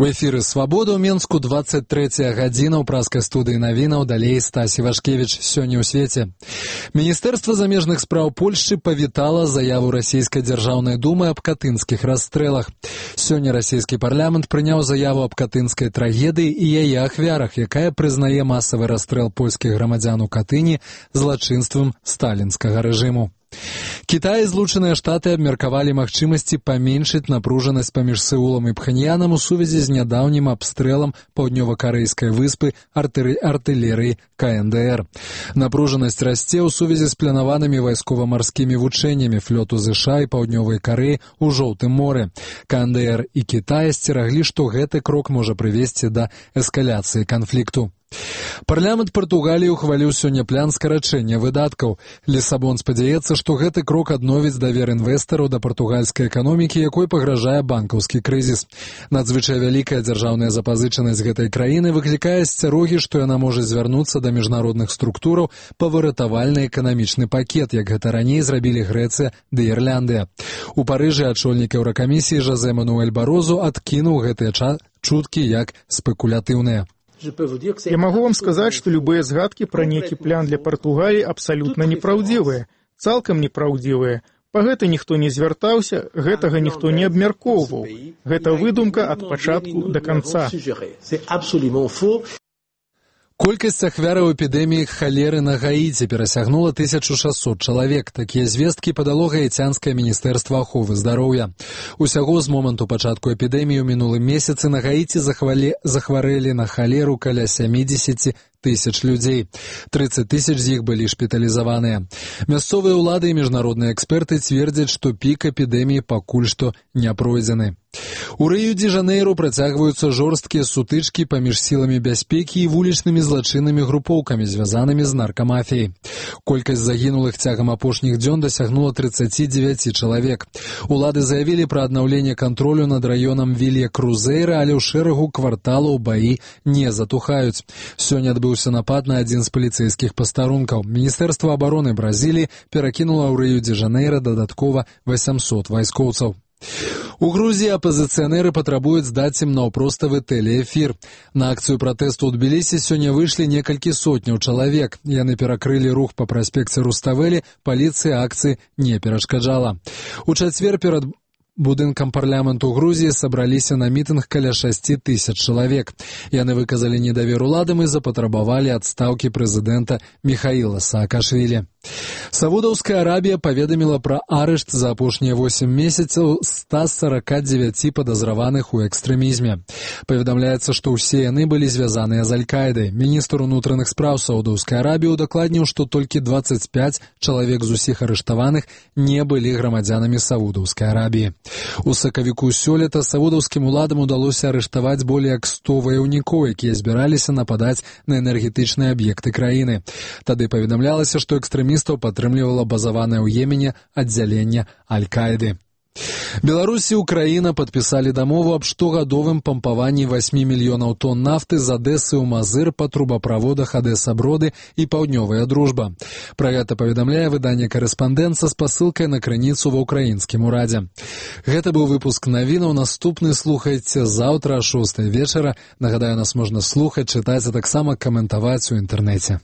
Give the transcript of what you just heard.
У эфіры «Свабода» ў Менску 23 гадзіна ў праскай студыі навінаў, далей Стась Івашкевіч. Сёння ў свеце. Міністэрства замежных спраў Польшчы павітала заяву расійскай дзяржаўнай думы аб катынскіх расстрэлах. Сёння расійскі парламент прыняў заяву аб катынскай трагедыі і яе ахвярах, якая прызнае масавы расстрэл польскіх грамадзян у Катыні злачынствам сталінскага рэжыму. Кітай і Злучаныя Штаты абмеркавалі магчымасці паменшыць напружанасць паміж Сеулам і Пхеньянам у сувязі з нядаўнім абстрэлам паўднёва-карэйскай выспы артылерыі КНДР. Напружанасць расце ў сувязі з планаванымі вайскова-марскімі вучэннямі флоту ЗША і Паўднёвай Карэі ў Жоўтым моры. КНДР і Кітай асцераглі, што гэты крок можа прывесці да эскаляцыі канфлікту. Парламент Партугаліі ухваліў сёння план скарачэння выдаткаў. Лісабон спадзяецца, што гэты крок адновіць давер інвестараў да партугальскай эканомікі, якой пагражае банкаўскі крызіс. Надзвычай вялікая дзяржаўная запазычанасць гэтай краіны выклікае асцярогі, што яна можа звярнуцца да міжнародных структураў па выратавальны эканамічны пакет, як гэта раней зрабілі Грэцыя ды Ірландыя. У Парыжы ачольнік Еўракамісіі Жозе Мануэль Барозу адкінуў гэтыя чуткі як спекулятыўныя. Я могу вам сказать, что любые згадки про некий план для Португалии абсолютно неправдивые, цалкам неправдивые. Па гэта ніхто не звяртаўся, гэтага ніхто не абмяркоўваў. Гэта выдумка ад пачатку да канца. Колькасць ахвяраў эпідэміі халеры на Гаіці перасягнула 1600 чалавек. Такія звесткі падало гаіцянскае міністэрства аховы здароўя. Усяго з моманту пачатку эпідэміі ў мінулым месяцы на Гаіці захварэлі на халеру каля 70 тысяч людзей. 30 тысяч з іх былі шпіталізаваныя. Мясцовыя ўлады і міжнародныя эксперты цвердзяць, што пік эпідэміі пакуль што не пройдзены. У Рыё-дзе-Жанейру працягваюцца жорсткія сутычкі паміж сіламі бяспекі і вулічнымі злачыннымі групоўкамі, звязанымі з наркамафіяй. Колькасць загінулых цягам апошніх дзён дасягнула 39 чалавек. Улады заявілі пра аднаўленне кантролю над раёнам Вілья-Крузейра, але ў шэрагу кварталаў баі не затухаюць. Сёння адбыўся напад на адзін з паліцэйскіх пастарункаў. Міністэрства абароны Бразіліі перакінула ў Рыё-дзе-Жанейра дадаткова 800 вайскоўцаў. У Грузіі апазіцыянеры патрабуюць здаць ім наўпроставы тэлеэфір. На акцыю пратэсту ў Тбілісі сёння выйшлі некалькі сотняў чалавек. Яны перакрылі рух па праспекце Руставелі, паліцыя акцыі не перашкаджала. У чацвер перад будынкам парламенту Грузіі сабраліся на мітынг каля 6 тысяч чалавек. Яны выказалі недавер уладам і запатрабавалі адстаўкі прэзідэнта Міхаіла Саакашвілі. Саудаўская Арабія паведаміла пра арышт за апошнія 8 месяцаў 149 падазраваных у экстрэмізме. Паведамляецца, што ўсе яны былі звязаныя з Аль-Каідай. Міністр унутраных спраў Саудаўскай Арабіі удакладніў, што толькі 25 чалавек з усіх арыштаваных не былі грамадзянамі Саудаўскай Арабіі. У сакавіку сёлета саудаўскім уладам удалося арыштаваць болей як 100 ваяўнікоў, якія збіраліся нападаць на энергетычныя аб'екты краіны. Тады паведамлялася, што экстрэмістаў падтрымлівала базаванае ў Йемене аддзяленне Аль-Каіды. Беларусь і Украіна падпісалі дамову аб штогадовым пампаванні 8 мільёнаў тонн нафты з Адэсы ў Мазыр па трубаправодах Адэса-Броды і Паўднёвая Дружба. Пра гэта паведамляе выданне «Карэспандэнт» са спасылкай на крыніцу ва ўкраінскім урадзе. Гэта быў выпуск навінаў. Наступны слухайце заўтра о 6 вечара. Нагадаю, нас можна слухаць, чытаць, а таксама каментаваць у інтэрнэце.